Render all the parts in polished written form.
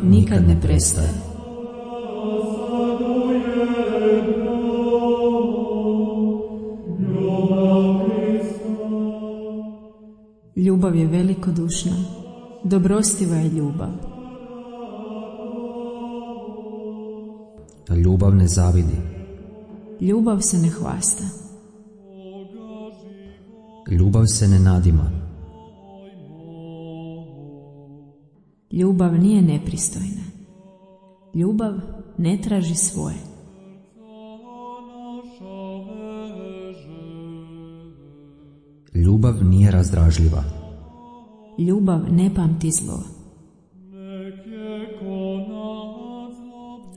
nikad ne prestaje. Ljubav je velikodušna, dobrostiva je ljubav. Ljubav ne zavidi. Ljubav se ne hvasta. Ljubav se ne nadima. Ljubav nije nepristojna. Ljubav ne traži svoje. Ljubav nije razdražljiva. Ljubav ne pamti zlo.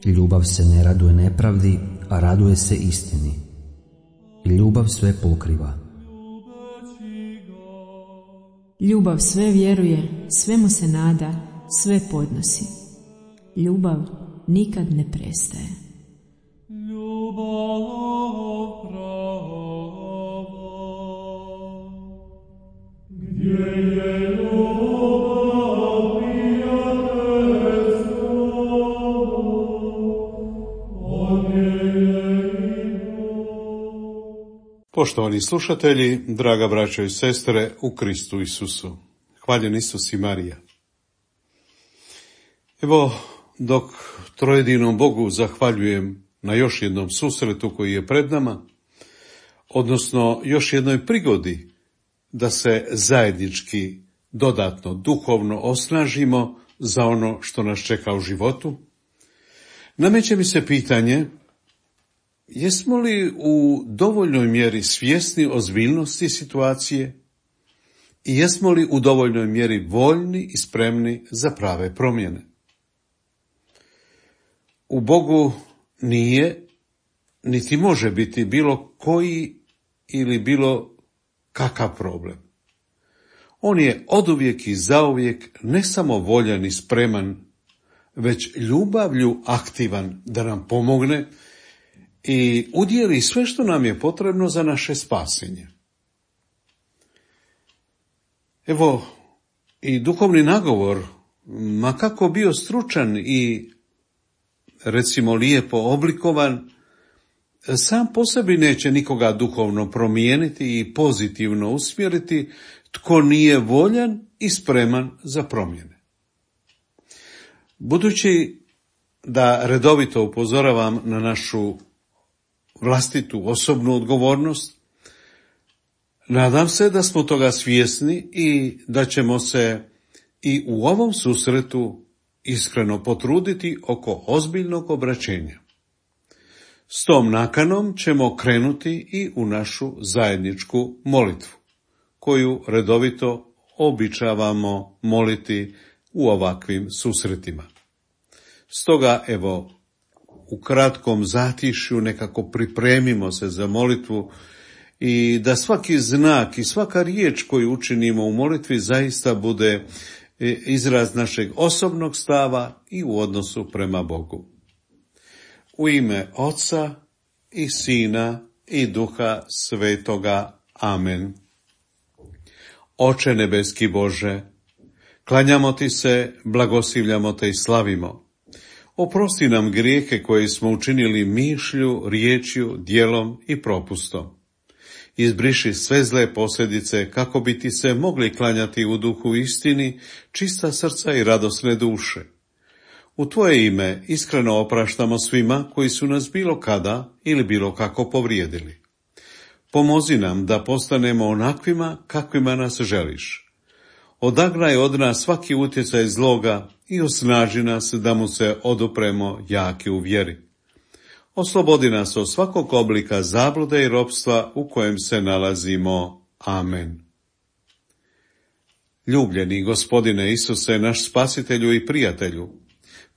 Ljubav se ne raduje nepravdi, a raduje se istini. Ljubav sve pokriva. Ljubav sve vjeruje, svemu se nada, sve podnosi. Ljubav nikad ne prestaje. Poštovani slušatelji, draga braćo i sestre u Kristu Isusu, hvaljen Isus i Marija. Evo, dok trojedinom Bogu zahvaljujem na još jednom susretu koji je pred nama, odnosno još jednoj prigodi da se zajednički dodatno duhovno osnažimo za ono što nas čeka u životu, nameće mi se pitanje: jesmo li u dovoljnoj mjeri svjesni ozbiljnosti situacije i jesmo li u dovoljnoj mjeri voljni i spremni za prave promjene? U Bogu nije, niti može biti bilo koji ili bilo kakav problem. On je oduvijek i zauvijek ne samo voljan i spreman, već ljubavlju aktivan da nam pomogne i udjeli sve što nam je potrebno za naše spasenje. Evo, i duhovni nagovor, ma kako bio stručan i recimo lijepo oblikovan, sam po sebi neće nikoga duhovno promijeniti i pozitivno usmjeriti tko nije voljan i spreman za promjene. Budući da redovito upozoravam na našu vlastitu osobnu odgovornost, nadam se da smo toga svjesni i da ćemo se i u ovom susretu iskreno potruditi oko ozbiljnog obraćenja. S tom nakanom ćemo krenuti i u našu zajedničku molitvu, koju redovito običavamo moliti u ovakvim susretima. Stoga, evo, u kratkom zatišju nekako pripremimo se za molitvu i da svaki znak i svaka riječ koju učinimo u molitvi zaista bude izraz našeg osobnog stava i u odnosu prema Bogu. U ime Oca i Sina i Duha Svetoga. Amen. Oče nebeski Bože, klanjamo Ti se, blagoslivljamo Te i slavimo. Oprosti nam grijehe koje smo učinili mišlju, riječju, djelom i propustom. Izbriši sve zle posljedice kako bi Ti se mogli klanjati u duhu istini, čista srca i radosne duše. U Tvoje ime iskreno opraštamo svima koji su nas bilo kada ili bilo kako povrijedili. Pomozi nam da postanemo onakvima kakvima nas želiš. Odagnaj od nas svaki utjecaj zloga i osnaži nas da mu se odupremo jaki u vjeri. Oslobodi nas od svakog oblika zablude i ropstva u kojem se nalazimo. Amen. Ljubljeni Gospodine Isuse, naš spasitelju i prijatelju,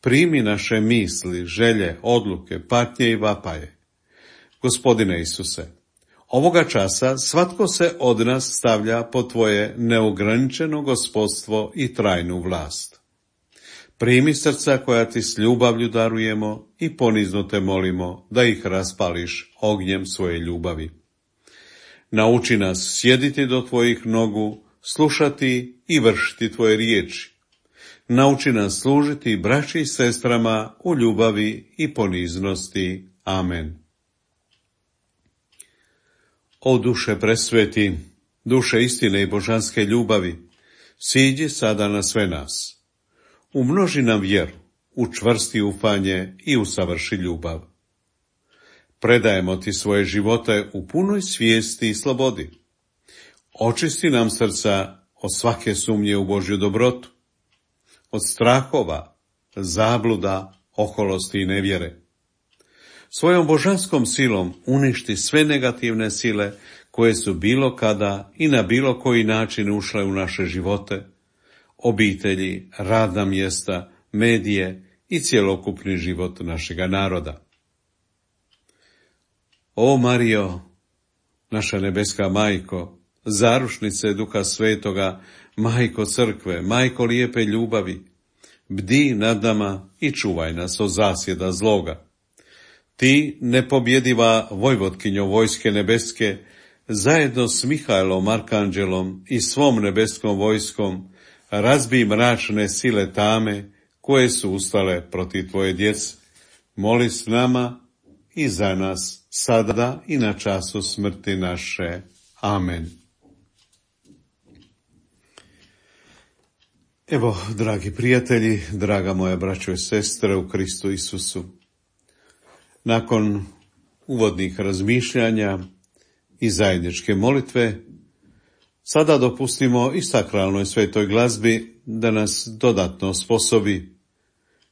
primi naše misli, želje, odluke, patnje i vapaje. Gospodine Isuse, ovoga časa svatko se od nas stavlja pod Tvoje neograničeno gospodstvo i trajnu vlast. Primi srca koja Ti s ljubavlju darujemo i ponizno Te molimo da ih raspališ ognjem svoje ljubavi. Nauči nas sjediti do Tvojih nogu, slušati i vršiti Tvoje riječi. nauči nas služiti braći i sestrama u ljubavi i poniznosti. Amen. O duše presveti, duše istine i božanske ljubavi, siđi sada na sve nas. Umnoži nam vjeru, učvrsti ufanje i usavrši ljubav. Predajemo ti svoje živote u punoj svijesti i slobodi. Očisti nam srca od svake sumnje u Božju dobrotu, od strahova, zabluda, oholosti i nevjere. Svojom božanskom silom uništi sve negativne sile koje su bilo kada i na bilo koji način ušle u naše živote, obitelji, radna mjesta, medije i cjelokupni život našega naroda. O Marijo, naša nebeska majko, zarušnice Duha Svetoga, majko crkve, majko lijepe ljubavi, bdi nad nama i čuvaj nas od zasjeda zloga. Ti, nepobjediva vojvotkinjo vojske nebeske, zajedno s Mihajlom Arkanđelom i svom nebeskom vojskom, razbij mračne sile tame koje su ustale protiv tvoje djece. Moli s nama i za nas, sada i na času smrti naše. Amen. Evo, dragi prijatelji, draga moja braćo i sestre u Kristu Isusu, nakon uvodnih razmišljanja i zajedničke molitve, sada dopustimo i sakralnoj svetoj glazbi da nas dodatno osposobi,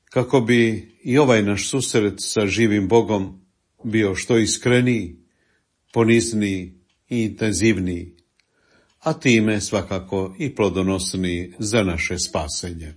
kako bi i ovaj naš susret sa živim Bogom bio što iskreniji, ponizniji i intenzivniji, a time svakako i plodonosniji za naše spasenje.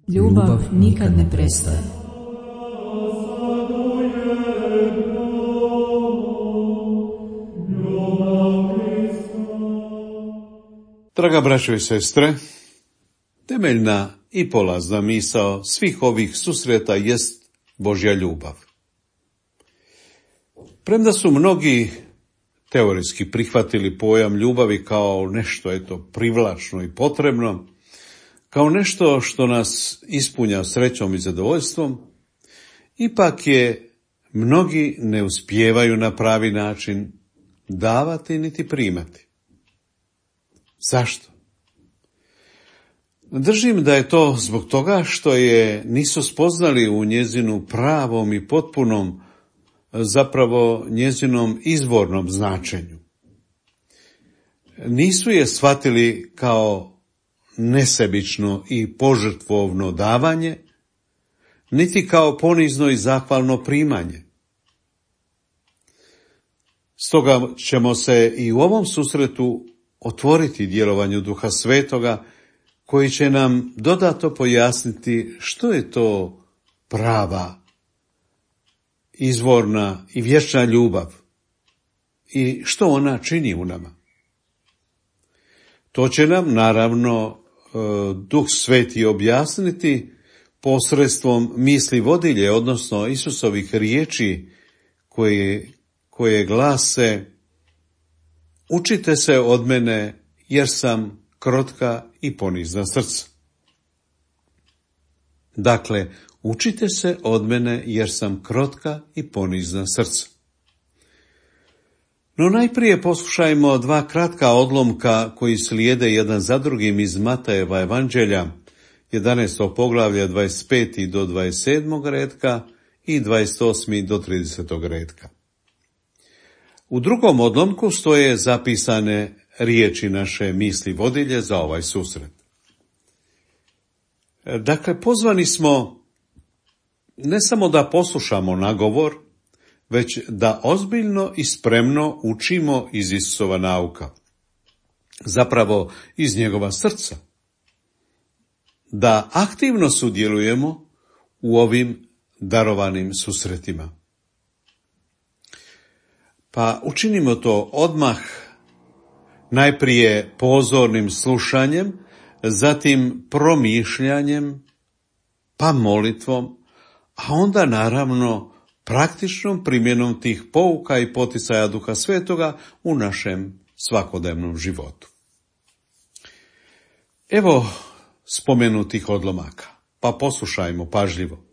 Ljubav nikad ne prestaje. Draga braćo i sestre, temeljna i polazna misao svih ovih susreta jest Božja ljubav. Premda su mnogi teoretski prihvatili pojam ljubavi kao nešto privlačno i potrebno, kao nešto što nas ispunja srećom i zadovoljstvom, ipak je mnogi ne uspijevaju na pravi način davati niti primati. Zašto? Držim da je to zbog toga što je nisu spoznali u njezinu pravom i potpunom, zapravo njezinom izvornom značenju. Nisu je shvatili kao nesebično i požrtvovno davanje, niti kao ponizno i zahvalno primanje. Stoga ćemo se i u ovom susretu otvoriti djelovanju Duha Svetoga, koji će nam dodatno pojasniti što je to prava, izvorna i vječna ljubav i što ona čini u nama. To će nam naravno Duh Sveti objasniti posredstvom misli vodilje, odnosno Isusovih riječi koje glase: učite se od mene jer sam krotka i ponizna srca. Dakle, učite se od mene jer sam krotka i ponizna srca. No najprije poslušajmo dva kratka odlomka koji slijede jedan za drugim iz Matejeva evanđelja, 11. poglavlje 25. do 27. retka i 28. do 30. retka. U drugom odlomku stoje zapisane riječi naše misli vodilje za ovaj susret. Dakle, pozvani smo ne samo da poslušamo nagovor, već da ozbiljno i spremno učimo iz Isusova nauka, zapravo iz njegova srca, da aktivno sudjelujemo u ovim darovanim susretima. Pa učinimo to odmah, najprije pozornim slušanjem, zatim promišljanjem, pa molitvom, a onda naravno praktičnom primjenom tih pouka i poticaja Duha Svetoga u našem svakodnevnom životu. Evo spomenutih odlomaka, pa poslušajmo pažljivo.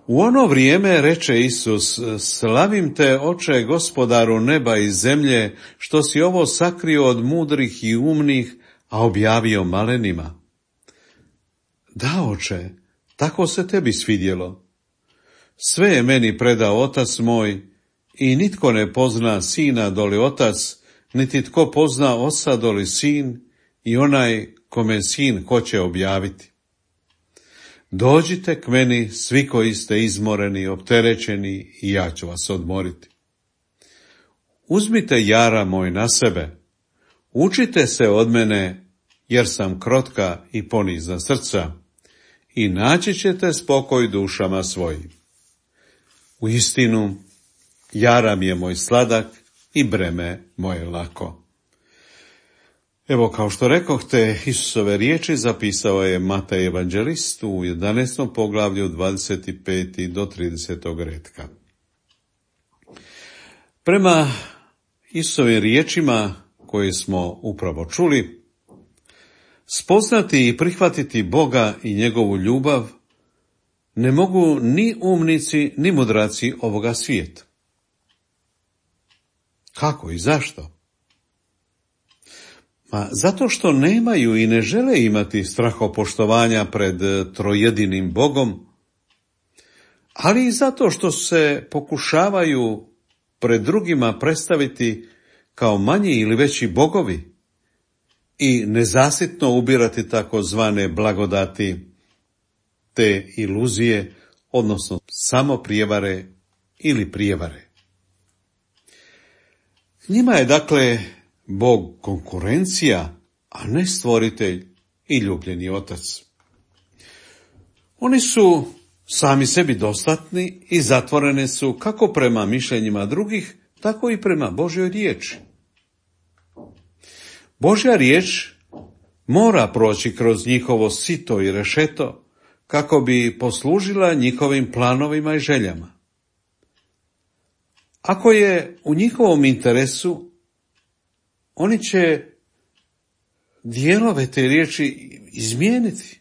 U ono vrijeme reče Isus: slavim te, Oče, Gospodaru neba i zemlje, što si ovo sakrio od mudrih i umnih, a objavio malenima. Da, Oče, tako se tebi svidjelo. Sve je meni predao Otac moj i nitko ne pozna Sina doli Otac, niti tko pozna Oca doli Sin i onaj kome Sin hoće objaviti. Dođite k meni svi koji ste izmoreni, opterećeni, i ja ću vas odmoriti. Uzmite jara moj na sebe, učite se od mene, jer sam krotka i ponizna srca, i naći ćete spokoj dušama svojim. Uistinu, jaram je moj sladak i breme moje lako. Evo, kao što rekoh, te Isusove riječi zapisao je Matej evanđelist u 11. poglavlju 25. do 30. retka. Prema Isusovim riječima koje smo upravo čuli, spoznati i prihvatiti Boga i njegovu ljubav ne mogu ni umnici, ni mudraci ovoga svijeta. Kako i zašto? Zato što nemaju i ne žele imati strahopoštovanja pred trojedinim Bogom, ali i zato što se pokušavaju pred drugima predstaviti kao manji ili veći bogovi i nezasitno ubirati takozvane blagodati, te iluzije, odnosno samo prijevare ili prijevare. Njima je dakle Bog konkurencija, a ne stvoritelj i ljubljeni Otac. Oni su sami sebi dostatni i zatvorene su kako prema mišljenjima drugih, tako i prema Božjoj riječi. Božja riječ mora proći kroz njihovo sito i rešeto kako bi poslužila njihovim planovima i željama. Ako je u njihovom interesu, oni će dijelove te riječi izmijeniti,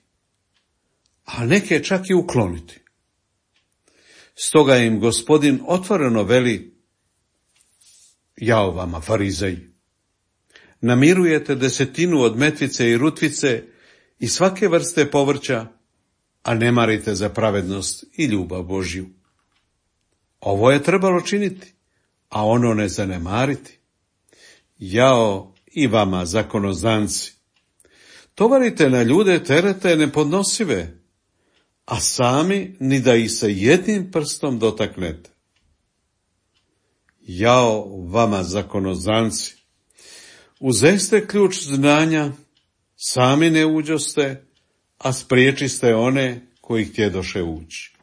a neke čak i ukloniti. Stoga im Gospodin otvoreno veli: jao vama, farizeji, namirujete 10% od metvice i rutvice i svake vrste povrća, a ne marite za pravednost i ljubav Božju. Ovo je trebalo činiti, a ono ne zanemariti. Jao i vama, zakonozanci, tovarite na ljude terete nepodnosive, a sami ni da ih se jednim prstom dotaknete. Jao vama, zakonozanci, uzeste ključ znanja, sami ne uđoste, a spriječiste one koji htjedoše ući.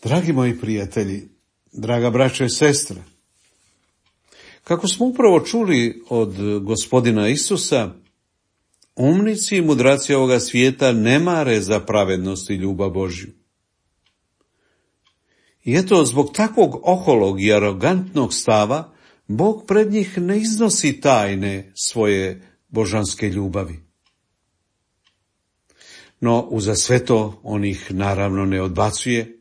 Dragi moji prijatelji, draga braćo i sestre, Kako smo upravo čuli od Gospodina Isusa, umnici i mudraci ovoga svijeta ne mare za pravednost i ljubav Božju. I eto, zbog takvog oholog i arogantnog stava, Bog pred njih ne iznosi tajne svoje božanske ljubavi. No, uza sve to on ih naravno ne odbacuje,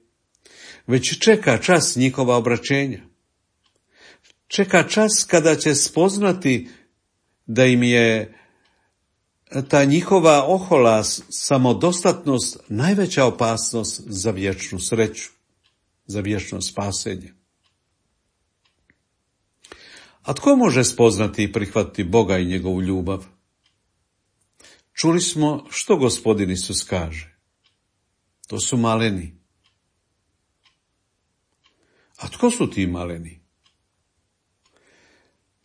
već čeka čas njihova obraćenja. Čeka čas kada će spoznati da im je ta njihova ohola samodostatnost najveća opasnost za vječnu sreću, za vječno spasenje. A tko može spoznati i prihvatiti Boga i njegovu ljubav? Čuli smo što Gospodin Isus kaže. To su maleni. A tko su ti maleni?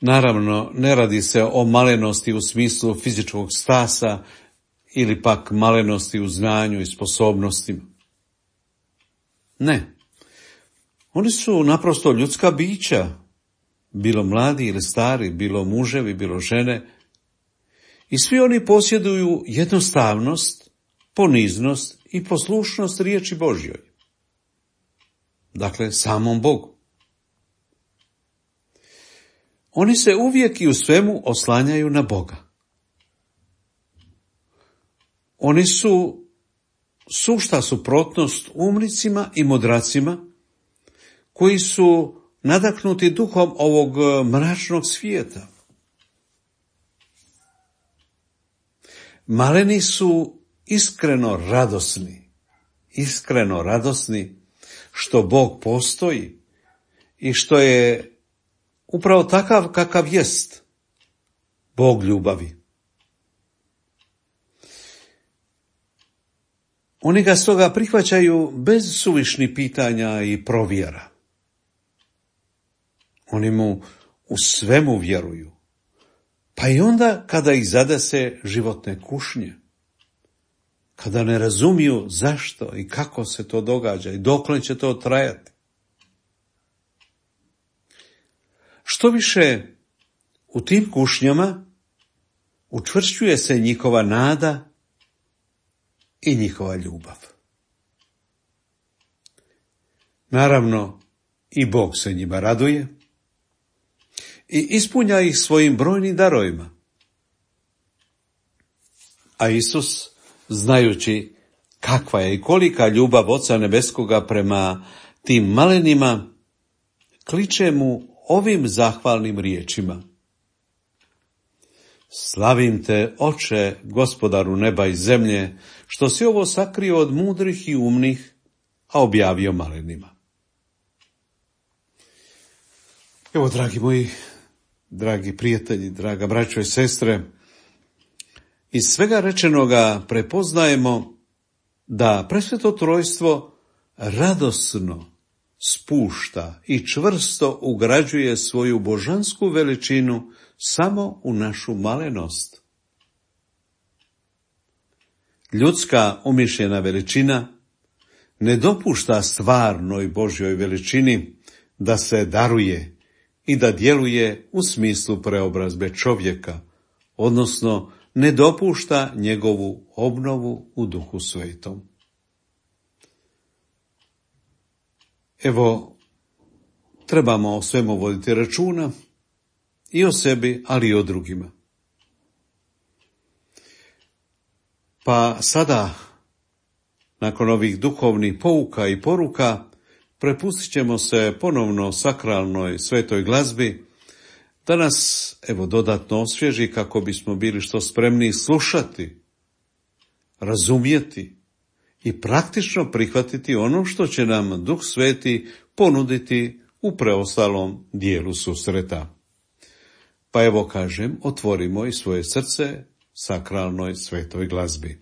Naravno, ne radi se o malenosti u smislu fizičkog stasa ili pak malenosti u znanju i sposobnostima. Ne. Oni su naprosto ljudska bića, bilo mladi ili stari, bilo muževi, bilo žene, i svi oni posjeduju jednostavnost, poniznost i poslušnost riječi Božjoj. Dakle, samom Bogu. Oni se uvijek i u svemu oslanjaju na Boga. Oni su sušta suprotnost umnicima i mudracima koji su nadahnuti duhom ovog mračnog svijeta. Maleni su iskreno radosni što Bog postoji i što je upravo takav kakav jest, Bog ljubavi. Oni ga stoga prihvaćaju bez suvišnih pitanja i provjera. Oni mu u svemu vjeruju, pa i onda kada ih zadese životne kušnje, kada ne razumiju zašto i kako se to događa i dokle će to trajati. Što više, u tim kušnjama učvršćuje se njihova nada i njihova ljubav. Naravno, i Bog se njima raduje i ispunja ih svojim brojnim darovima. A Isus, znajući kakva je i kolika ljubav Oca Nebeskoga prema tim malenima, kliče mu ovim zahvalnim riječima. Slavim te, Oče, Gospodaru neba i zemlje, što si ovo sakrio od mudrih i umnih, a objavio malenima. Evo, dragi moji, dragi prijatelji, draga braćo i sestre, iz svega rečenoga prepoznajemo da Presveto Trojstvo radosno spušta i čvrsto ugrađuje svoju božansku veličinu samo u našu malenost. Ljudska umišljena veličina ne dopušta stvarnoj Božjoj veličini da se daruje i da djeluje u smislu preobrazbe čovjeka, odnosno ne dopušta njegovu obnovu u Duhu Svetom. Evo, trebamo o svemu voditi računa, i o sebi, ali i o drugima. Pa sada, nakon ovih duhovnih pouka i poruka, prepustit ćemo se ponovno sakralnoj svetoj glazbi, da nas, evo, dodatno osvježi kako bismo bili što spremniji slušati, razumjeti i praktično prihvatiti ono što će nam Duh Sveti ponuditi u preostalom dijelu susreta. Pa evo kažem, otvorimo i svoje srce sakralnoj svetoj glazbi.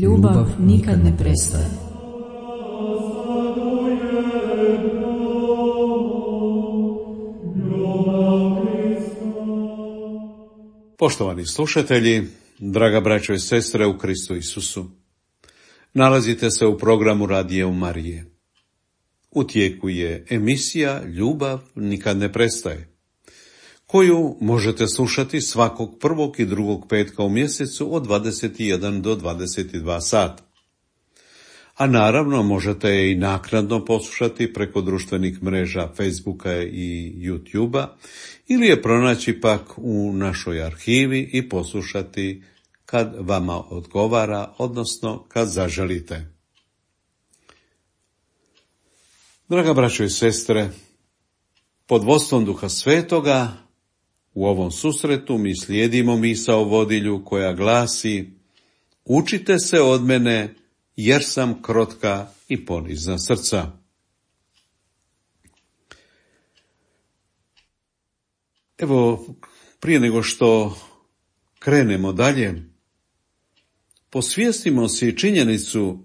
Ljubav nikad ne prestaje. Poštovani slušatelji, draga braćo i sestre u Kristu Isusu, nalazite se u programu Radija Marije. U tijeku je emisija Ljubav nikad ne prestaje, koju možete slušati svakog prvog i drugog petka u mjesecu od 21 do 22 sata. A naravno možete je i naknadno poslušati preko društvenih mreža Facebooka i YouTubea ili je pronaći pak u našoj arhivi i poslušati kad vama odgovara, odnosno kad zaželite. Draga braćo i sestre, pod vodstvom Duha Svetoga u ovom susretu mi slijedimo misao vodilju koja glasi: učite se od mene jer sam krotka i ponizna srca. Evo, prije nego što krenemo dalje, posvijestimo si činjenicu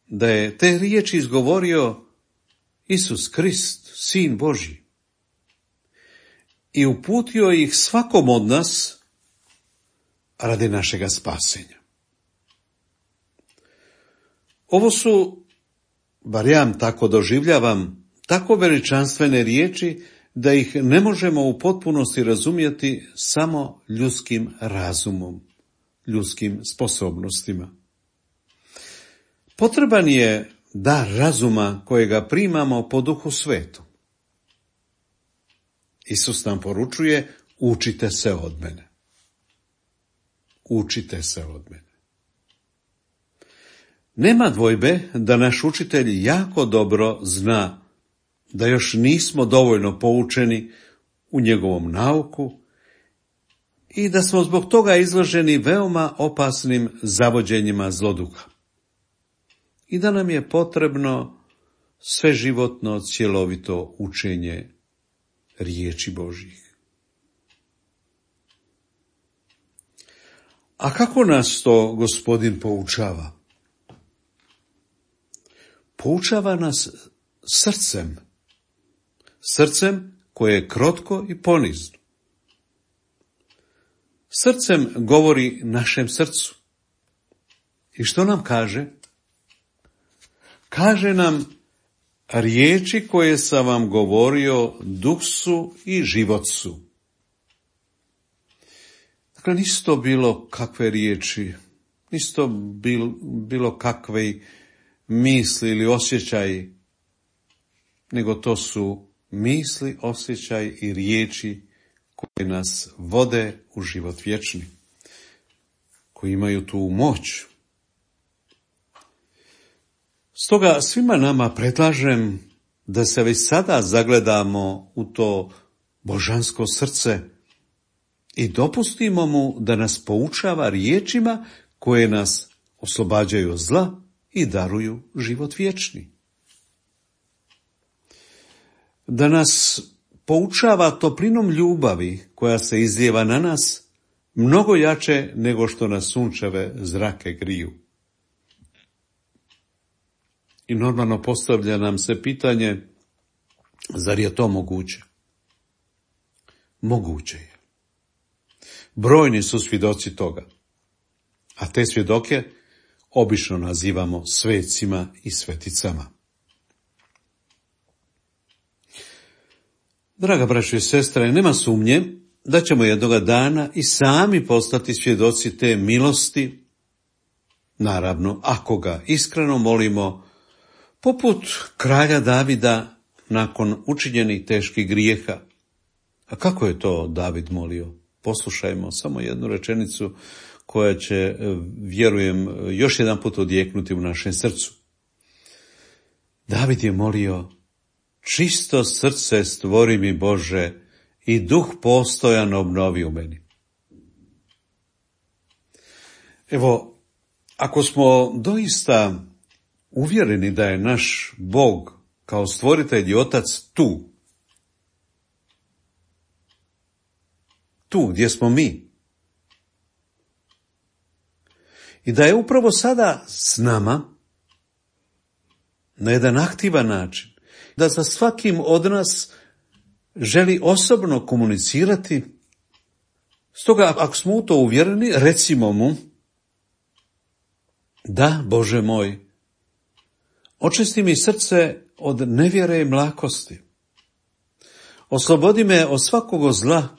da je te riječi izgovorio Isus Krist, Sin Božji, i uputio ih svakom od nas radi našega spasenja. Ovo su, bar ja tako doživljavam, tako veličanstvene riječi da ih ne možemo u potpunosti razumjeti samo ljudskim razumom, ljudskim sposobnostima. Potreban je dar razuma kojega primamo po Duhu Svetom. Isus nam poručuje: učite se od mene. Učite se od mene. Nema dvojbe da naš učitelj jako dobro zna da još nismo dovoljno poučeni u njegovom nauku i da smo zbog toga izloženi veoma opasnim zavođenjima zloduha. I da nam je potrebno sveživotno, cjelovito učenje riječi Božjih. A kako nas to Gospodin poučava? Poučava nas srcem koje je krotko i ponizno. srcem govori našem srcu. I što nam kaže? Kaže nam, riječi koje sam vam govorio duh su i život su. Dakle, nisu to bilo kakve riječi, nisu to bilo kakve misli ili osjećaji, nego to su misli, osjećaj i riječi koje nas vode u život vječni, koji imaju tu moć. Stoga svima nama predlažem da se već sada zagledamo u to božansko srce i dopustimo mu da nas poučava riječima koje nas oslobađaju od zla i daruju život vječni. Da nas poučava toplinom ljubavi koja se izlijeva na nas mnogo jače nego što nas sunčeve zrake griju. I normalno postavlja nam se pitanje, zar je to moguće? Moguće je. Brojni su svjedoci toga, a te svjedoke obično nazivamo svecima i sveticama. Draga braćo i sestre, nema sumnje da ćemo jednoga dana i sami postati svjedoci te milosti, naravno ako ga iskreno molimo, poput kralja Davida nakon učinjenih teških grijeha. A kako je to David molio? Poslušajmo samo jednu rečenicu koja će, vjerujem, još jedan put odjeknuti u našem srcu. David je molio, čisto srce stvori mi Bože i duh postojan obnovi u meni. Evo, ako smo doista uvjereni da je naš Bog kao stvoritelj i otac tu gdje smo mi, i da je upravo sada s nama na jedan aktivan način, da sa svakim od nas želi osobno komunicirati. Stoga, ako smo u to uvjereni, recimo mu, da, Bože moj, očisti mi srce od nevjere i mlakosti. Oslobodi me od svakog zla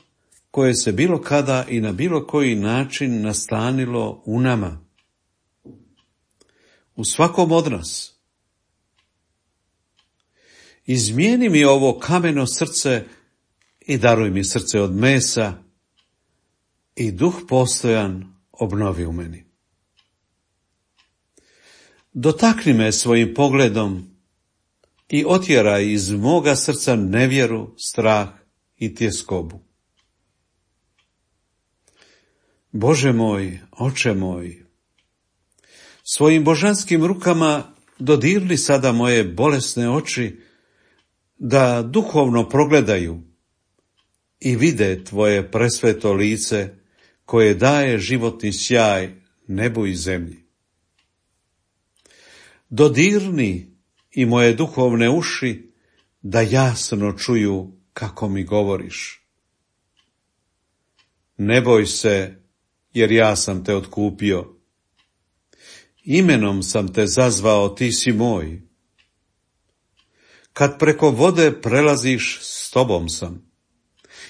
koje se bilo kada i na bilo koji način nastanilo u nama, u svakom od nas. Izmijeni mi ovo kameno srce i daruj mi srce od mesa i duh postojan obnovi u meni. Dotakni me svojim pogledom i otjeraj iz moga srca nevjeru, strah i tjeskobu. Bože moj, oče moj, svojim božanskim rukama dodirni sada moje bolesne oči, da duhovno progledaju i vide tvoje presveto lice koje daje životni sjaj nebu i zemlji. Dodirni i moje duhovne uši da jasno čuju kako mi govoriš. Ne boj se, jer ja sam te otkupio. Imenom sam te zazvao, ti si moj. Kad preko vode prelaziš, s tobom sam.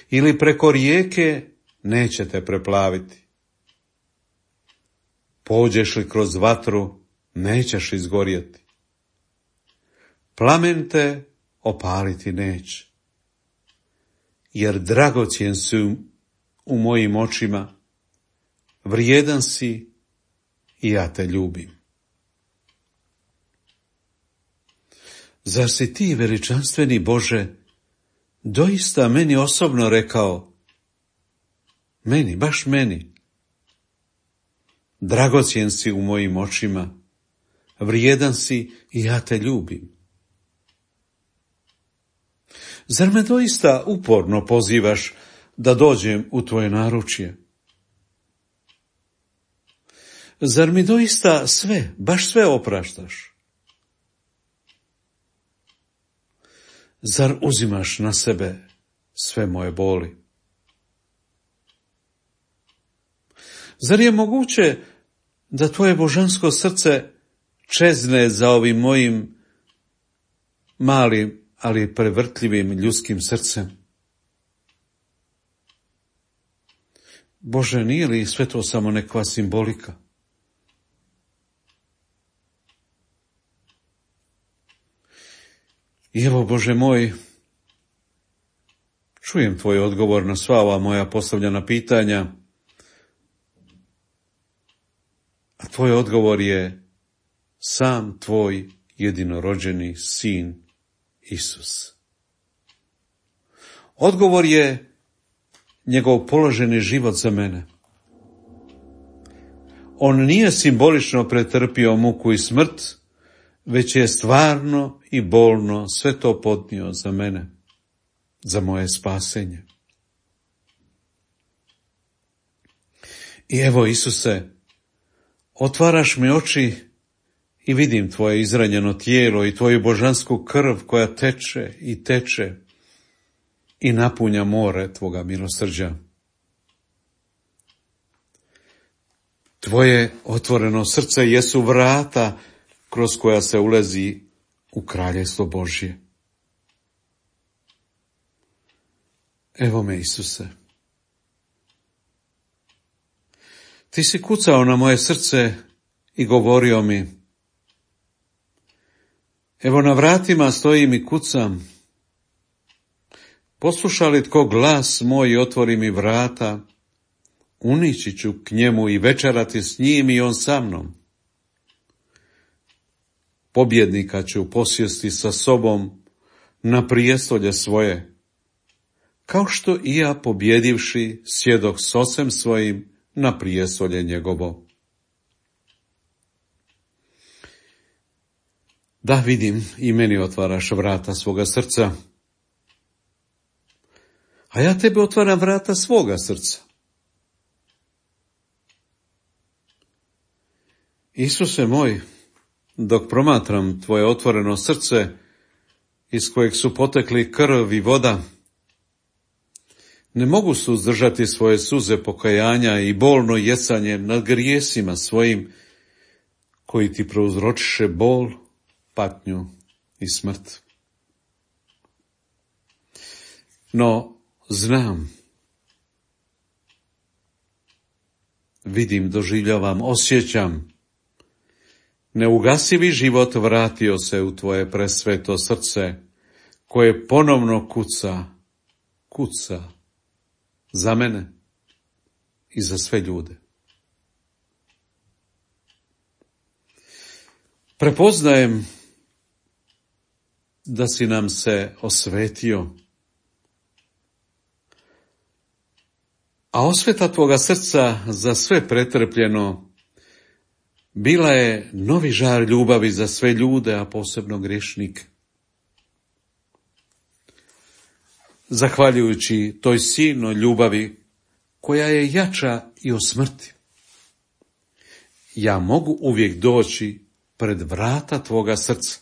Ili preko rijeke, neće te preplaviti. Pođeš li kroz vatru, nećeš izgorjeti. Plamen te opaliti neće. Jer dragocjen si u mojim očima, vrijedan si i ja te ljubim. Zar si ti, veličanstveni Bože, doista meni osobno rekao, meni, baš meni, dragocjen si u mojim očima, vrijedan si i ja te ljubim. Zar me doista uporno pozivaš da dođem u tvoje naručje? Zar mi doista sve, baš sve opraštaš? Zar uzimaš na sebe sve moje boli? Zar je moguće da tvoje božansko srce čezne za ovim mojim malim, ali prevrtljivim ljudskim srcem? Bože, nije li sve to samo neka simbolika? I evo, Bože moj, čujem tvoj odgovor na sva ova moja postavljena pitanja, a tvoj odgovor je sam tvoj jedinorođeni sin Isus. Odgovor je njegov položeni život za mene. On nije simbolično pretrpio muku i smrt, već je stvarno i bolno sve to podnio za mene, za moje spasenje. I evo, Isuse, otvaraš mi oči i vidim tvoje izranjeno tijelo i tvoju božansku krv koja teče i teče i napunja more tvoga milosrđa. Tvoje otvoreno srce jesu vrata kroz koja se ulazi u kraljevstvo Božje. Evo me, Isuse. Ti si kucao na moje srce i govorio mi: evo na vratima stojim i kucam. Posluša li tko glas moj i otvori mi vrata, unići ću k njemu i večerati s njim i on sa mnom. Pobjednika ću posjesti sa sobom na prijestolje svoje, kao što i ja pobjedivši sjedok s ocem svojim na prijestolje njegovo. Da, vidim, i meni otvaraš vrata svoga srca, a ja tebe otvaram vrata svoga srca. Isuse moj, dok promatram tvoje otvoreno srce, iz kojeg su potekli krv i voda, ne mogu suzdržati svoje suze pokajanja i bolno jesanje nad grijesima svojim, koji ti prouzročiše bol, patnju i smrt. No, znam, vidim, doživljavam, osjećam, neugasivi život vratio se u tvoje presveto srce, koje ponovno kuca za mene i za sve ljude. Prepoznajem da si nam se osvetio, a osveta tvoga srca za sve pretrpljeno bila je novi žar ljubavi za sve ljude, a posebno grešnike. Zahvaljujući toj silnoj ljubavi koja je jača i od smrti, ja mogu uvijek doći pred vrata tvoga srca,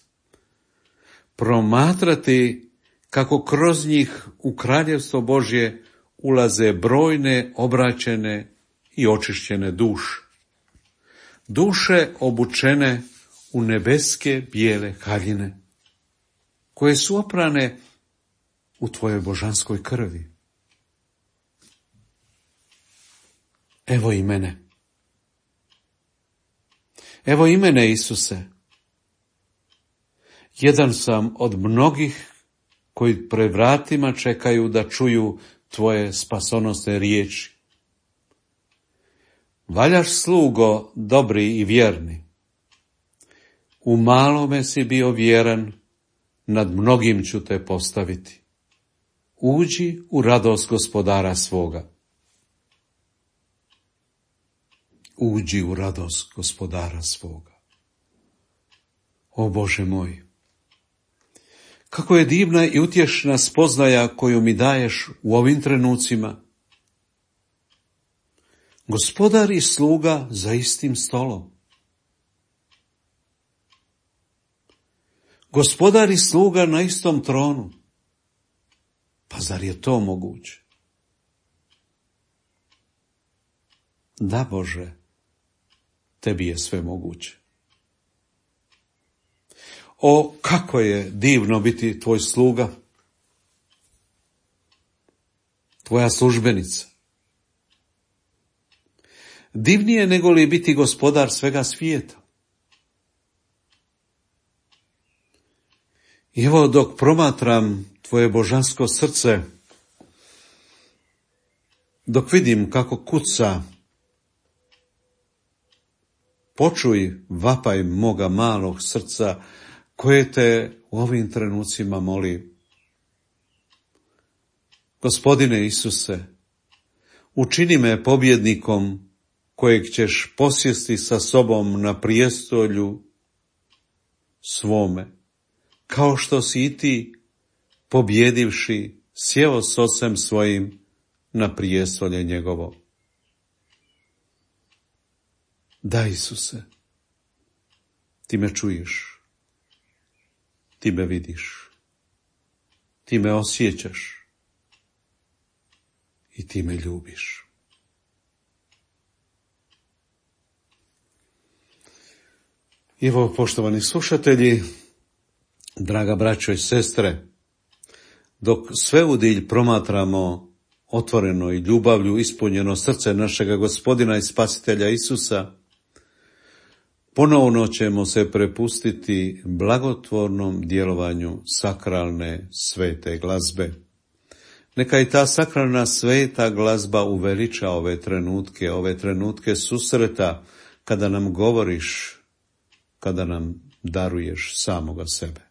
promatrati kako kroz njih u kraljevstvo Božje ulaze brojne obraćene i očišćene duše. Duše obučene u nebeske bijele haljine, koje su oprane u tvojoj božanskoj krvi. Evo i mene. Evo i mene, Isuse. Jedan sam od mnogih koji pred vratima čekaju da čuju tvoje spasonosne riječi. Valjaš, slugo, dobri i vjerni. U malome si bio vjeran, nad mnogim ću te postaviti. Uđi u radost gospodara svoga. Uđi u radost gospodara svoga. O Bože moj, kako je divna i utješna spoznaja koju mi daješ u ovim trenucima. Gospodar i sluga za istim stolom. Gospodar i sluga na istom tronu. Pa zar je to moguće? Da, Bože, tebi je sve moguće. O, kako je divno biti tvoj sluga, tvoja službenica. Divnije nego li biti gospodar svega svijeta. I evo dok promatram tvoje božansko srce, dok vidim kako kuca, počuj vapaj moga malog srca koje te u ovim trenucima moli. Gospodine Isuse, učini me pobjednikom kojeg ćeš posjesti sa sobom na prijestolju svome, kao što si i ti, pobjedivši, sjeo s Ocem svojim na prijestolje njegovo. Da, Isuse, ti me čuješ, ti me vidiš, ti me osjećaš i ti me ljubiš. Evo, poštovani slušatelji, draga braćo i sestre, dok sve udilj promatramo otvoreno i ljubavlju ispunjeno srce našega Gospodina i Spasitelja Isusa, ponovno ćemo se prepustiti blagotvornom djelovanju sakralne svete glazbe. Neka i ta sakralna sveta glazba uveliča ove trenutke susreta kada nam govoriš, kada nam daruješ samoga sebe.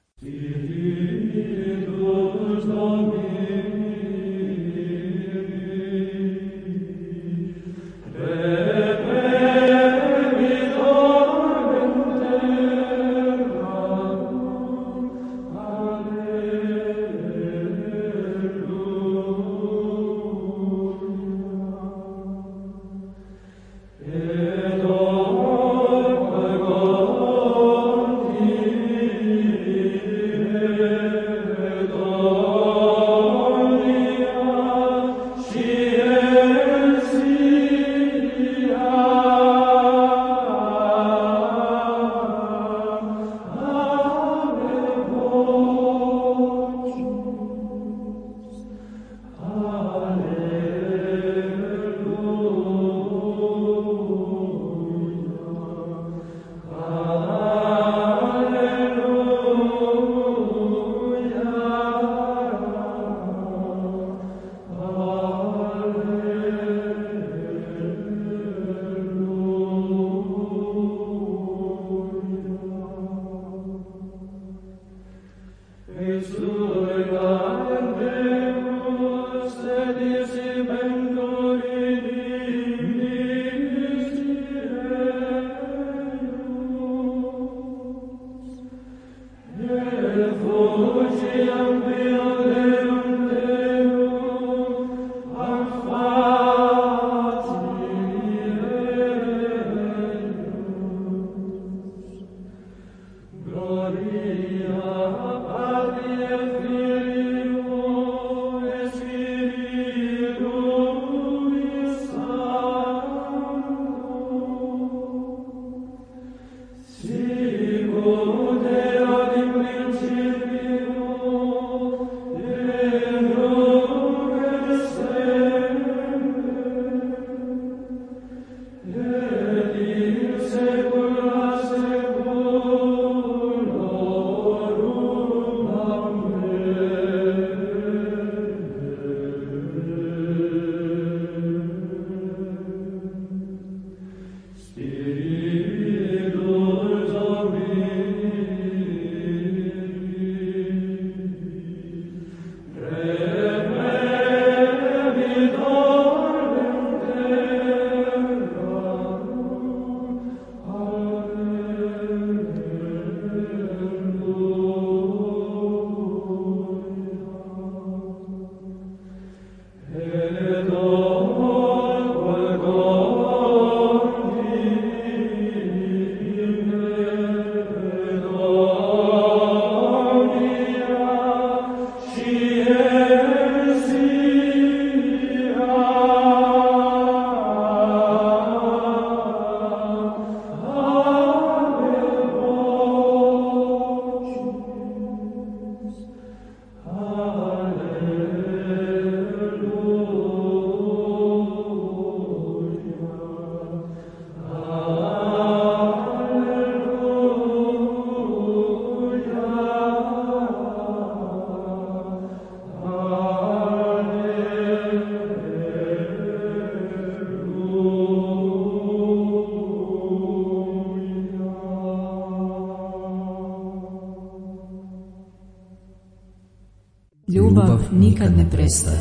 Ljubav nikad ne prestaje.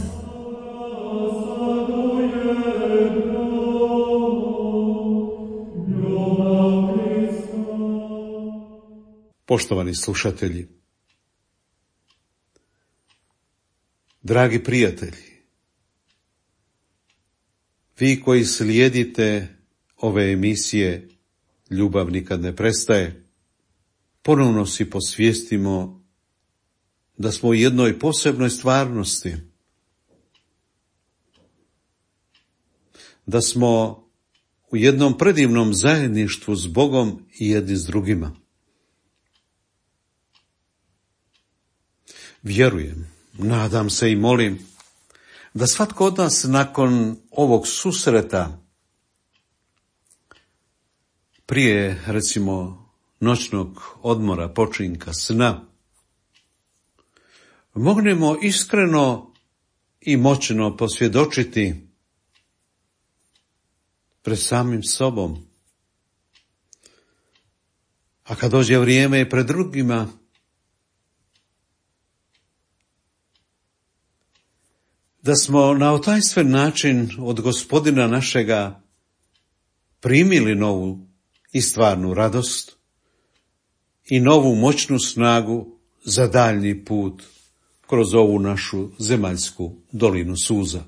Poštovani slušatelji, dragi prijatelji, vi koji slijedite ove emisije Ljubav nikad ne prestaje, ponovno si posvijestimo da smo u jednoj posebnoj stvarnosti, da smo u jednom predivnom zajedništvu s Bogom i jedni s drugima. Vjerujem, nadam se i molim da svatko od nas nakon ovog susreta, prije recimo noćnog odmora, počinka, sna, mognemo iskreno i moćno posvjedočiti pred samim sobom, a kad dođe vrijeme i pred drugima, da smo na otajstven način od Gospodina našega primili novu i stvarnu radost i novu moćnu snagu za daljnji put kroz ovu našu zemaljsku dolinu suza.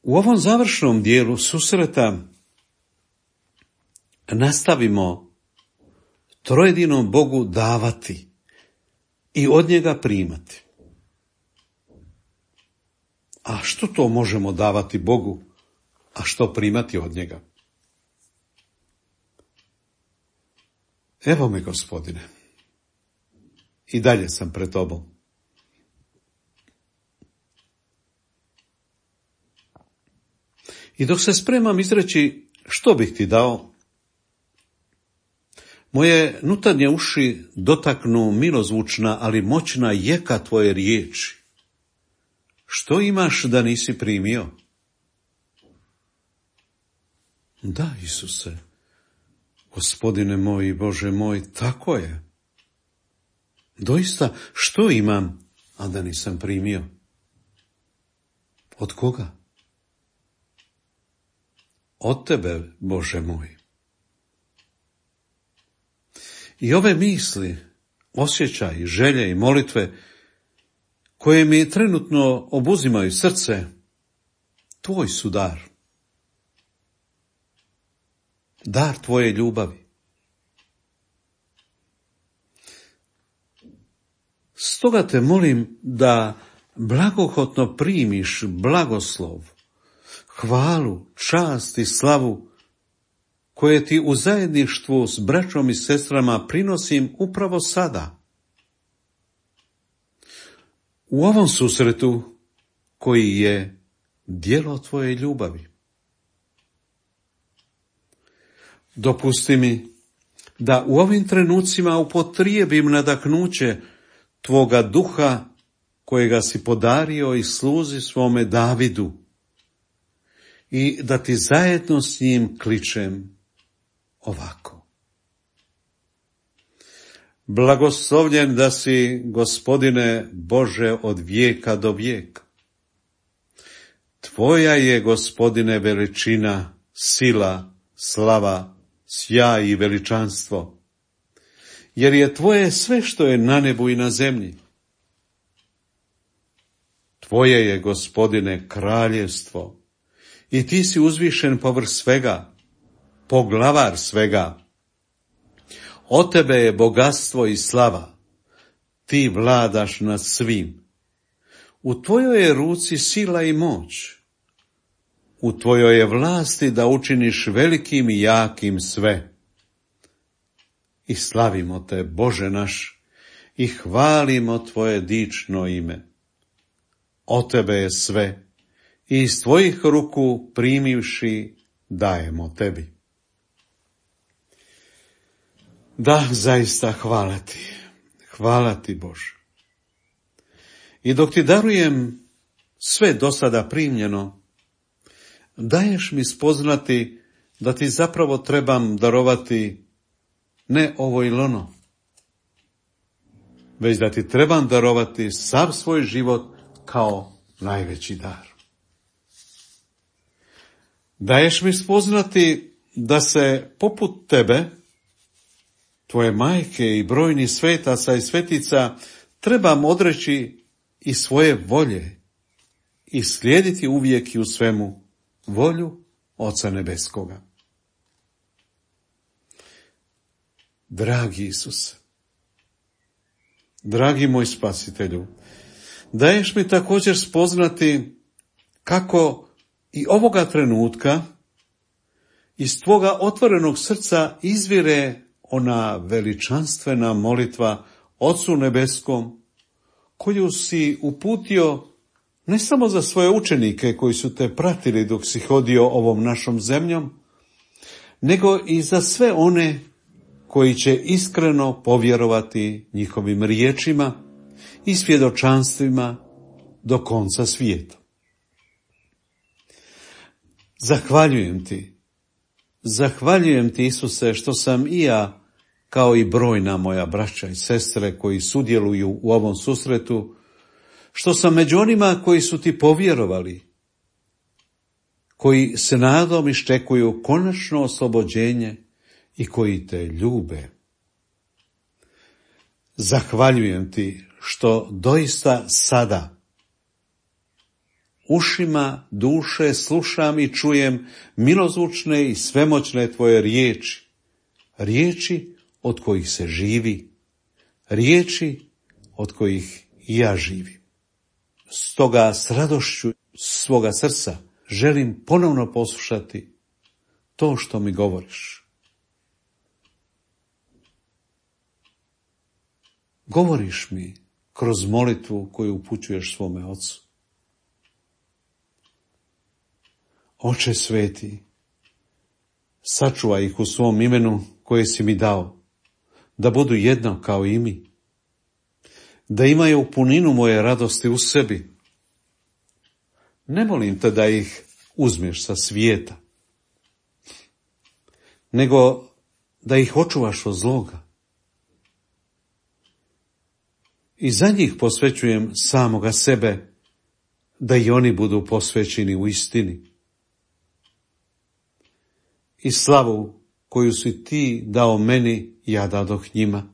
U ovom završnom dijelu susreta nastavimo trojedinom Bogu davati i od njega primati. A što to možemo davati Bogu, a što primati od njega? Evo me, Gospodine, i dalje sam pred tobom. I dok se spremam izreći što bih ti dao, moje nutarnje uši dotaknu milozvučna, ali moćna jeka tvoje riječi. Što imaš da nisi primio? Da, Isuse, Gospodine moj i Bože moj, tako je. Doista, što imam, a da nisam primio? Od koga? Od tebe, Bože moj. I ove misli, osjećaji, želje i molitve koje mi trenutno obuzimaju srce, tvoj su dar. Dar tvoje ljubavi. Stoga te molim da blagohotno primiš blagoslov, hvalu, čast i slavu koje ti u zajedništvu s braćom i sestrama prinosim upravo sada. U ovom susretu koji je djelo tvoje ljubavi. Dopusti mi da u ovim trenucima upotrijebim nadahnuće tvoga duha kojega si podario i sluzi svome Davidu i da ti zajedno s njim kličem ovako. Blagoslovljen da si, Gospodine Bože, od vijeka do vijeka. Tvoja je, Gospodine, veličina, sila, slava, sjaj i veličanstvo, jer je tvoje sve što je na nebu i na zemlji. Tvoje je, Gospodine, kraljevstvo i ti si uzvišen povrh svega, poglavar svega. Od tebe je bogatstvo i slava, ti vladaš nad svim. U tvojoj je ruci sila i moć, u tvojoj je vlasti da učiniš velikim i jakim sve. I slavimo te, Bože naš, i hvalimo tvoje dično ime. Od tebe je sve, i iz tvojih ruku primivši dajemo tebi. Da, zaista hvala ti Bože. I dok ti darujem sve do sada primljeno, daješ mi spoznati da ti zapravo trebam darovati ne ovo ili ono, već da ti trebam darovati sav svoj život kao najveći dar. Daješ mi spoznati da se poput tebe, tvoje majke i brojnih svetaca i svetica, trebam odreći i svoje volje i slijediti uvijek i u svemu volju Oca Nebeskoga. Dragi Isuse, dragi moj Spasitelju, daješ mi također spoznati kako i ovoga trenutka iz tvoga otvorenog srca izvire ona veličanstvena molitva Ocu Nebeskom, koju si uputio ne samo za svoje učenike koji su te pratili dok si hodio ovom našom zemljom, nego i za sve one koji će iskreno povjerovati njihovim riječima i svjedočanstvima do konca svijeta. Zahvaljujem ti Isuse što sam i ja, kao i brojna moja braća i sestre koji sudjeluju u ovom susretu, što sam među onima koji su ti povjerovali, koji se nadom iščekuju konačno oslobođenje i koji te ljube. Zahvaljujem ti što doista sada ušima duše slušam i čujem milozvučne i svemoćne tvoje riječi, riječi od kojih se živi, riječi od kojih i ja živim. Stoga s radošću svoga srca želim ponovno poslušati to što mi govoriš. Govoriš mi kroz molitvu koju upućuješ svome Ocu. Oče sveti, sačuvaj ih u svom imenu koje si mi dao, da budu jedno kao i mi, da imaju puninu moje radosti u sebi. Ne molim te da ih uzmeš sa svijeta, nego da ih očuvaš od zloga. I za njih posvećujem samoga sebe, da i oni budu posvećeni u istini. I slavu koju si ti dao meni, ja dadoh njima,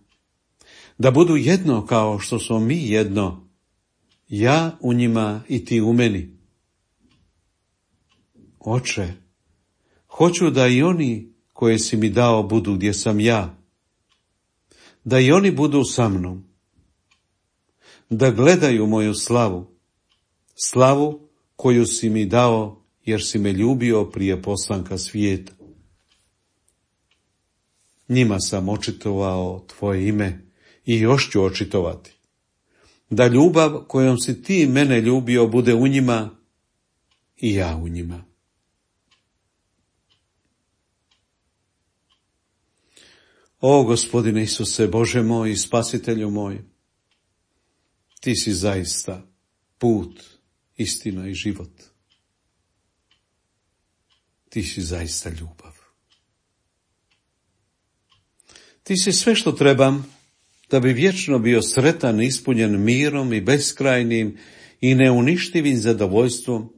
da budu jedno kao što smo mi jedno, ja u njima i ti u meni. Oče, hoću da i oni koje si mi dao budu gdje sam ja, da i oni budu sa mnom, da gledaju moju slavu, slavu koju si mi dao jer si me ljubio prije postanka svijeta. Njima sam očitovao tvoje ime i još ću očitovati, da ljubav kojom si ti mene ljubio bude u njima i ja u njima. O Gospodine Isuse, Bože moj i Spasitelju moj, ti si zaista put, istina i život. Ti si zaista ljubav. Ti si sve što trebam da bi vječno bio sretan, ispunjen mirom i beskrajnim i neuništivim zadovoljstvom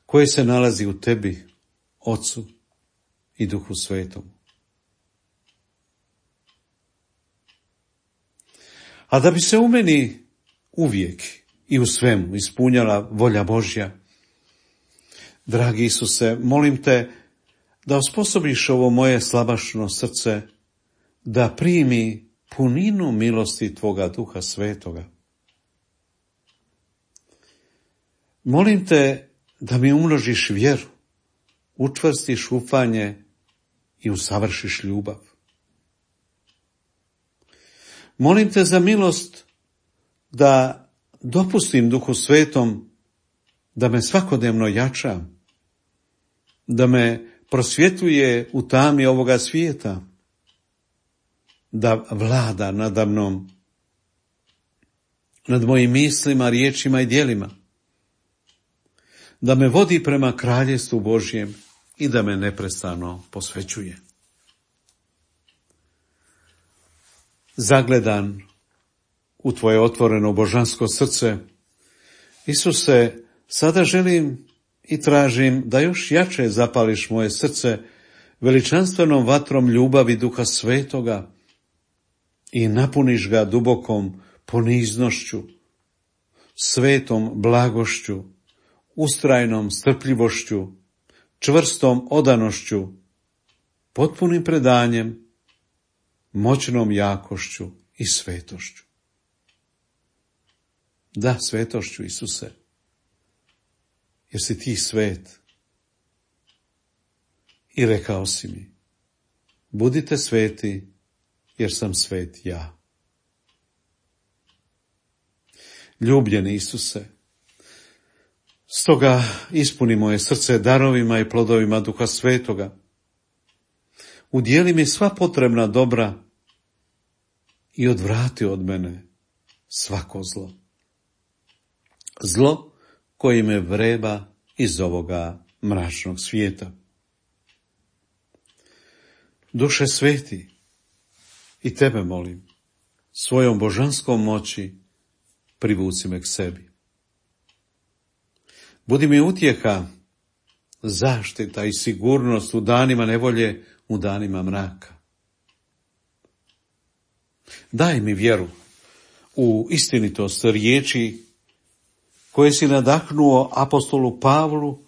koje se nalazi u tebi, Ocu i Duhu Svetom. A da bi se u meni uvijek i u svemu ispunjala volja Božja, dragi Isuse, molim te da osposobiš ovo moje slabašno srce da primi puninu milosti tvoga Duha Svetoga. Molim te da mi umnožiš vjeru, učvrstiš ufanje i usavršiš ljubav. Molim te za milost da dopustim Duhu Svetom da me svakodnevno jača, da me prosvjetuje u tami ovoga svijeta, da vlada nada mnom, nad mojim mislima, riječima i djelima, da me vodi prema kraljestvu Božjem i da me neprestano posvećuje. Zagledan u tvoje otvoreno božansko srce. Isuse, sada želim i tražim da još jače zapališ moje srce veličanstvenom vatrom ljubavi Duha Svetoga i napuniš ga dubokom poniznošću, svetom blagošću, ustrajnom strpljivošću, čvrstom odanošću, potpunim predanjem, moćnom jakošću i svetošću. Da, svetošću, Isuse, jer si ti svet. I rekao si mi, budite sveti, jer sam svet ja. Ljubljeni Isuse, stoga ispuni moje srce darovima i plodovima Duha Svetoga. Udijeli mi sva potrebna dobra i odvrati od mene svako zlo. Zlo koji me vreba iz ovoga mračnog svijeta. Duše sveti, i tebe molim, svojom božanskom moći privuci me k sebi. Budi mi utjeha, zaštita i sigurnost u danima nevolje, u danima mraka. Daj mi vjeru u istinitost riječi koje si nadahnuo apostolu Pavlu,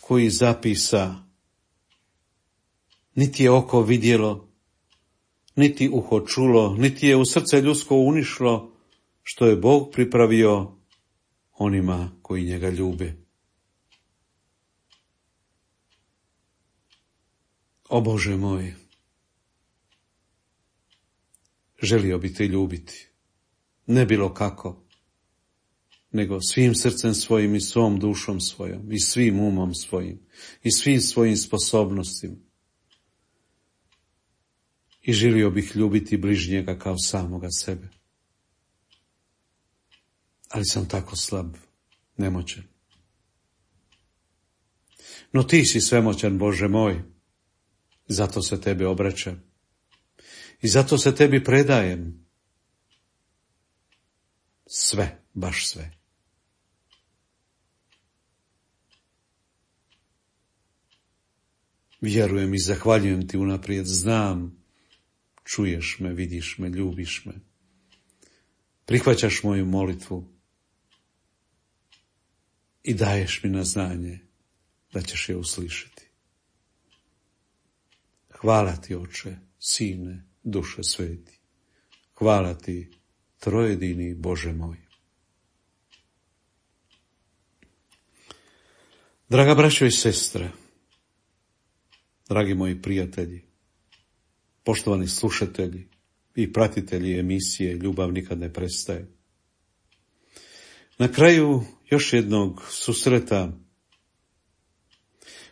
koji zapisa: niti je oko vidjelo, niti uho čulo, niti je u srce ljudsko unišlo, što je Bog pripravio onima koji njega ljube. O Bože moj, želio bi te ljubiti, ne bilo kako, nego svim srcem svojim i svom dušom svojom i svim umom svojim i svim svojim sposobnostima. I želio bih ljubiti bližnjega kao samoga sebe. Ali sam tako slab, nemoćan. No ti si svemoćan, Bože moj, zato se tebe obraćam i zato se tebi predajem. Sve, baš sve. Vjerujem i zahvaljujem ti unaprijed, znam, čuješ me, vidiš me, ljubiš me. Prihvaćaš moju molitvu i daješ mi na znanje da ćeš je uslišati. Hvala ti, Oče, Sine, Duše Sveti. Hvala ti, trojedini Bože moj. Draga braćo i sestre, dragi moji prijatelji, poštovani slušatelji i pratitelji emisije Ljubav nikad ne prestaje. Na kraju još jednog susreta,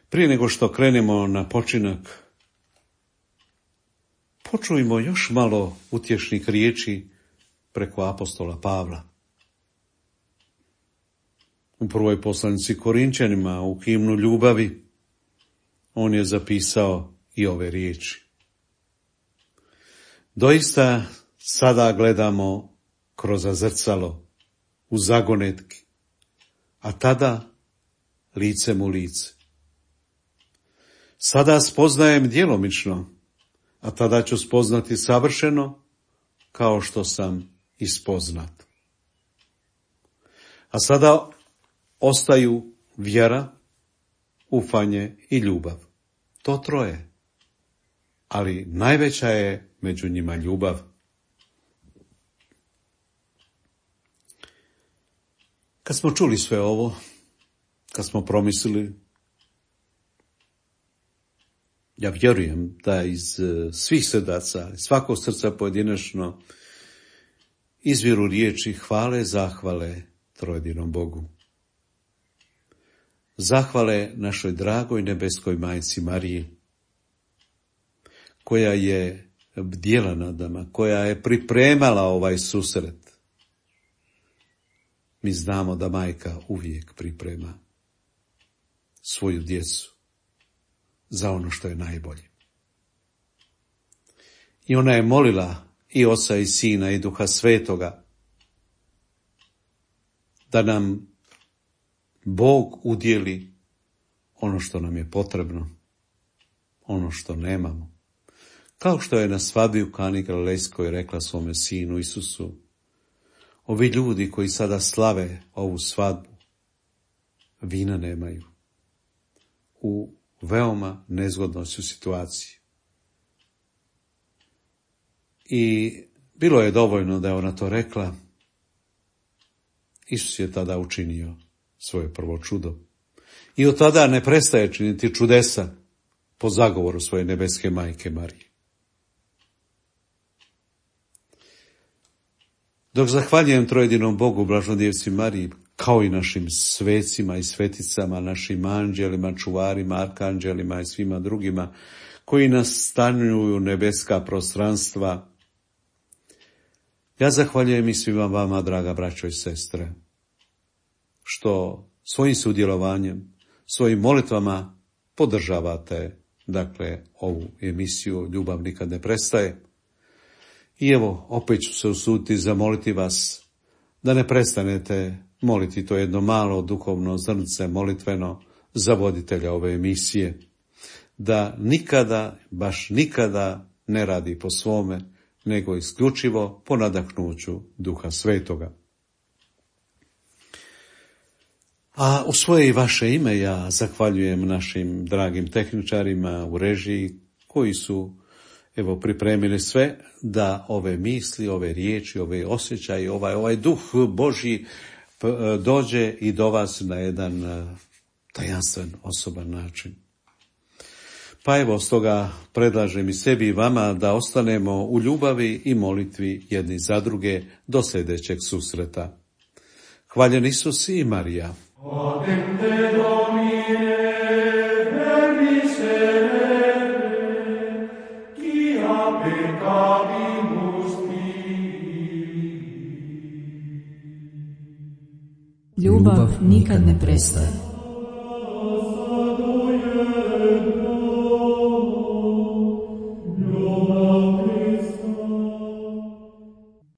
prije nego što krenemo na počinak, počujmo još malo utješnih riječi preko apostola Pavla. U prvoj poslanici Korinčanima, u himnu ljubavi, on je zapisao i ove riječi. Doista sada gledamo kroz zrcalo u zagonetki, a tada licem u lice. Sada spoznajem djelomično, a tada ću spoznati savršeno, kao što sam i spoznat. A sada ostaju vjera, ufanje i ljubav. To troje. Ali najveća je među njima ljubav. Kad smo čuli sve ovo, kad smo promislili, ja vjerujem da iz svih srdaca, iz svakog srca pojedinačno, izviru riječi hvale, zahvale trojedinom Bogu. Zahvale našoj dragoj nebeskoj majci Mariji, koja je bdjela nad nama, koja je pripremala ovaj susret. Mi znamo da majka uvijek priprema svoju djecu za ono što je najbolje. I ona je molila i Oca i Sina i Duha Svetoga da nam Bog udjeli ono što nam je potrebno, ono što nemamo. Kao što je na svadbi u Kani Galilejskoj rekla svome sinu Isusu, ovi ljudi koji sada slave ovu svadbu, vina nemaju. U veoma nezgodnoj su situaciji. I bilo je dovoljno da je ona to rekla. Isus je tada učinio svoje prvo čudo. I od tada ne prestaje činiti čudesa po zagovoru svoje nebeske majke Marije. Dok zahvaljujem trojedinom Bogu, Blažnodjevci Mariji, kao i našim svecima i sveticama, našim anđelima, čuvarima, arkanđelima i svima drugima, koji nastanjuju nebeska prostranstva, ja zahvaljujem i svima vama, draga braćo i sestre, što svojim sudjelovanjem, svojim molitvama podržavate, ovu emisiju Ljubav nikad ne prestaje. I evo, opet ću se usuditi zamoliti vas da ne prestanete moliti to jedno malo duhovno zrnce molitveno za voditelja ove emisije, da nikada, baš nikada ne radi po svome, nego isključivo po nadahnuću Duha Svetoga. A u svoje i vaše ime ja zahvaljujem našim dragim tehničarima u režiji koji su pripremili sve da ove misli, ove riječi, ove osjećaje, ovaj duh Božji dođe i do vas na jedan tajanstven, osoban način. Pa stoga predlažem i sebi i vama da ostanemo u ljubavi i molitvi jedni za druge do sljedećeg susreta. Hvaljen Isus i Marija. Ljubav nikad ne prestaje.